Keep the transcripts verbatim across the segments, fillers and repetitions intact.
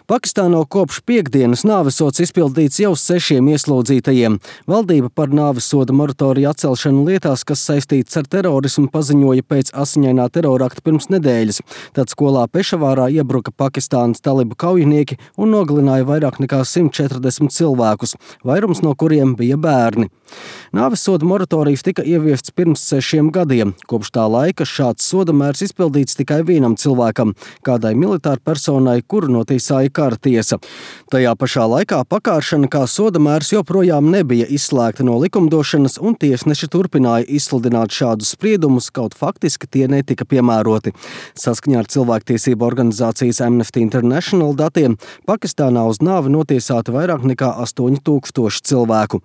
Pakistānā kopš piektdienas nāvesods izpildīts jau sešiem ieslodzītajiem. Valdība par nāvesoda moratoriju atcelšanu lietās, kas saistīts ar terorismu, paziņoja pēc asiņainā terorakta pirms nedēļas. Tad skolā Pešavārā iebruka Pakistānas talibu kaujinieki un nogalināja vairāk nekā simt četrdesmit cilvēkus, vairums no kuriem bija bērni. Nāvesoda moratorijas tika ieviests pirms sešiem gadiem. Kopš tā laika šāds sodamērs izpildīts tikai vienam cilvēkam, kādai militāra personai, kuru notiesāja kara tiesa. Tajā pašā laikā pakāršana kā sodamērs joprojām nebija izslēgta no likumdošanas, un tiesneši turpināja izsludināt šādus spriedumus, kaut faktiski tie netika piemēroti. Saskaņā ar cilvēktiesību organizācijas Amnesty International datiem, Pakistānā uz nāvi notiesāti vairāk nekā astoņi tūkstoši cilvēku.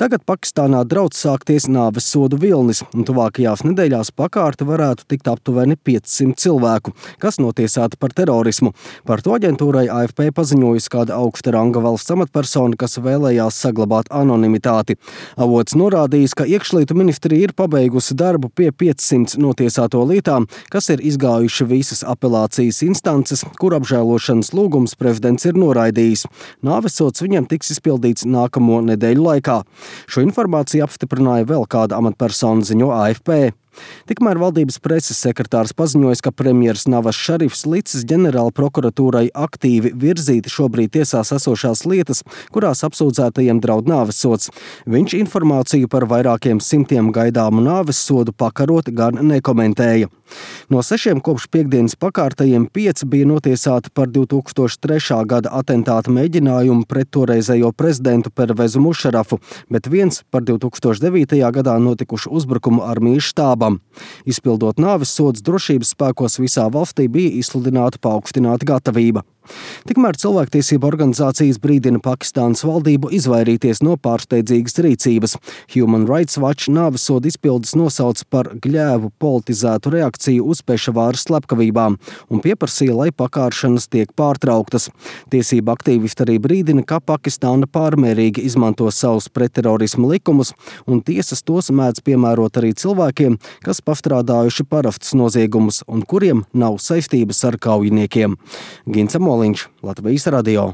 Tagad Pakistānā draudz sākties nāves sodu vilnis, un tuvākajās nedēļās pakārti varētu tikt aptuveni piecsimt cilvēku, kas notiesāti par terorismu. Par to aģentūrai A F P paziņojusi kāda augsta ranga valsts amatpersona, kas vēlējās saglabāt anonimitāti. Avots norādījis, ka iekšlietu ministrija ir pabeigusi darbu pie piecsimt notiesāto lietām, kas ir izgājuši visas apelācijas instances, kur apžēlošanas lūgums prezidents ir noraidījis. Nāvesods viņam tiks izpildīts nākamo nedēļu laikā. Šo informāciju apstiprināja vēl kāda amatpersona, ziņo A F P. Tikmēr valdības preses sekretārs paziņoja, ka premjers Navas Šarifs licis ģenerāla prokuratūrai aktīvi virzīt šobrīd tiesās esošās lietas, kurās apsūdzētajiem draud nāvesods. Viņš informāciju par vairākiem simtiem gaidāmu nāvesodu pakarot gan nekomentēja. No sešiem kopš piekdienas pakārtajiem pieci bija notiesāti par divi tūkstoši trešā gada atentāta mēģinājumu pret toreizējo prezidentu Pervezu Mušarafu, bet viens par divi tūkstoši devītajā gadā notikušu uzbrukumu armijas štābam. Izpildot nāves sodus, drošības spēkos visā valstī bija izsludināta paaugstināta gatavība. Tikmēr cilvēktiesību organizācijas brīdina Pakistānas valdību izvairīties no pārsteidzīgas rīcības. Human Rights Watch nāvesodu izpildes nosauc par gļēvu politizētu reakciju uz Pešavāras slepkavībām un pieprasīja, lai pakāršanas tiek pārtrauktas. Tiesība aktīvisti arī brīdina, ka Pakistāna pārmērīgi izmanto savus pretterorismu likumus, un tiesas tos mēdz piemērot arī cilvēkiem, kas pastrādājuši parastus noziegumus un kuriem nav saistības ar kaujiniekiem. Gints Moliņš, Latvijas radio.